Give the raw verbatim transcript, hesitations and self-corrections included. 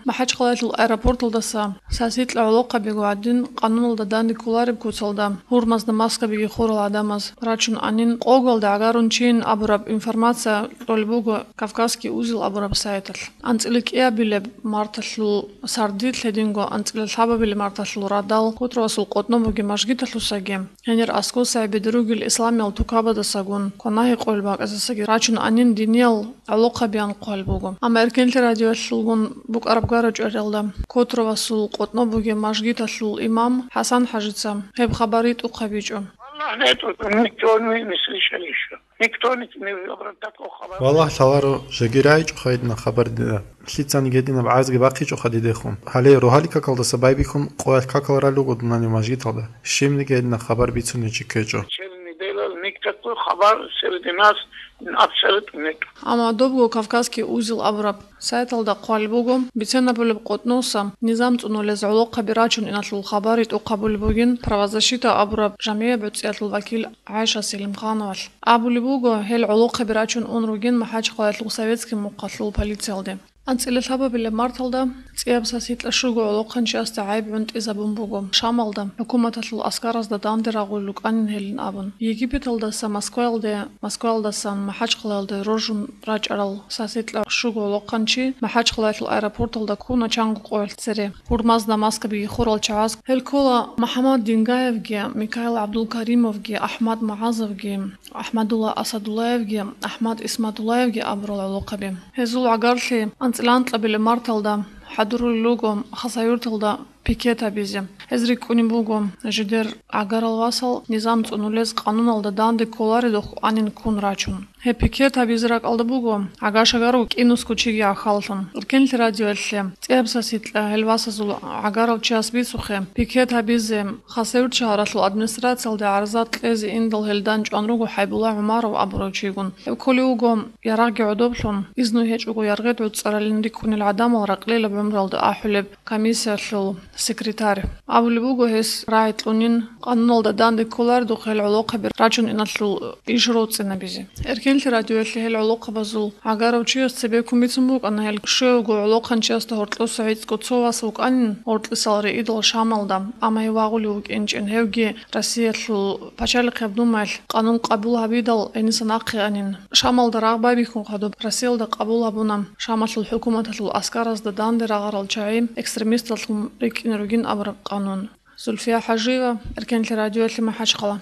МахӀачхъалаялъул аэропорталдаса сасикьа гӀолохъабиго гӀадин, къануналда данде кколареб куцалда, гьурмазда маскабиги хурал гӀадамаз рачун анин, къогалда гӀагарун чийин абураб информация кьолеб буго «Кавказский узел» абураб сайталъ. АнцӀила кӀиабилеб марталъул сардилъ, гьединго анцӀила лъабабилеб марталъул радал Котровасул къотӀно бугеб мажгиталъусаги, гьенир аскӀосаги бедеругел исламиял тукабаздасагун, кванагьи къоялъ бакӀаздасаги рачун анин диниял гӀолохъабиян хъван буго. Амма Эркенлъи радиоялъулгун букӀараб гара-чӀвариялда Котровасул къотӀно бугеб мажгиталъул имам ХӀасан-хӀажица гьеб хабар ритӀухъабичӀо. Аллагь, никто не слышал ещё. Никто не, не обращал такого хабар. Валлагь, лъаларо, жеги рагӀичӀоха гьединаб хабар дида. Лъицаниги гьединаб гӀарзги бахъичӀоха дидехун. Гьале рогьалил какалдаса байбихьун къоялъ какал ралел руго дунанив мажгиталда. Щибниги гьединаб хабар бицунев чи ккечӀо. Целый неделя никакой хабар среди нас абсолютно нет. Амма добго «Кавказский узел» абураб сайталда хъван буго, бицен абулеб къотӀноса низам цӀунулез гӀолохъаби рачун иналъул хабар ритӀухъ гьабулеб бугин «Правозащита» абураб жамигӀи гӀуцӀиялъул вакил ГӀайша Селимхановалъ. Абулеб буго, гьел гӀолохъаби рачун ун ругин МахӀачхъалаялъул советский мухъалъул полициялде. АнцӀила лъабабилеб марталда цӀияб сасикьа щуго гӀолохъанчиясда гӀайиб гӀунтӀизабун буго Шамалда хӀукуматалъул аскаразда данде рагъулел рукӀанин гьелин абун. Египеталдаса Москваялде, Москваялдасан МахӀачхъалаялде роржун рачӀарал сасикьа щуго гӀолохъанчи МахӀачхъалаялъул аэропорталда ккуна чанго къоялъ цере. Гьурмазда маскабиги хурал чагӀаз гьел ккола МухӀаммад Дингаевги, Микаил ГӀабдулкаримовги, АхӀмад МугӀазовги, АхӀмадулла Асадуллаевги, АхӀмад Исматуллаевги абурал гӀолохъаби. Гьезул гӀагарлъи анцӀила анкьабилеб марталда хӀадурулел руго Хасавюрталда пикет гьабизе. Гьез рикӀкӀунеб буго жидер гӀагарал васал низам цӀунулез къануналда данде кколаредухъ анин ккун рачун. Гьеб пикет гьабизе ракӀалда буго гӀага-шагарав кӀинусго чиги гӀахьаллъун. Эркенлъи радиоялъе цӀияб сасикьа гьел васазул гӀагарав чияс бицухъе, пикет гьабизе Хасавюрт шагьаралъул администрациялде гӀарза кьезе индал гьелда чӀван руго ХӀайбулла ГӀумаров абурав чигун. Гьев кколев вуго ярагъги гӀодоблъун, изну гьечӀого яргъи гӀуцӀаралин рикӀкӀунел гӀадамал ракьилаб гӀумруялда ахӀулеб комиссиялъул секретарь. Абулеб буго, гьес рагӀи кьунин, къануналда данде кколаредухъ гьел гӀолохъаби рачун иналъул иш роцӀцӀинабизе. Эркенлъи радиоялъе гьел гӀолохъабазул гӀагарав чияс цебеккун бицун букӀана, гьел щуго гӀолохъанчиясда гьоркьоса гӀицӀго цо вас вукӀанин гьоркьисал риидал Шамалда, амма гьев вагъулев вукӀинчӀин, гьевги Россиялъул пачалихъеб думаялъ къанун къабул гьабидал гьениса нахъе анин. Шамалда рагъ байбихьун хадуб Россиялда къабул гьабуна Шамалъул хӀукуматалъул аскаразда данде рагъарал чагӀи экстремисталлъун рикӀкӀине ругин абураб къанун. Зульфия ХӀажиева, Эркенлъи радиоялъе, МахӀачхъала.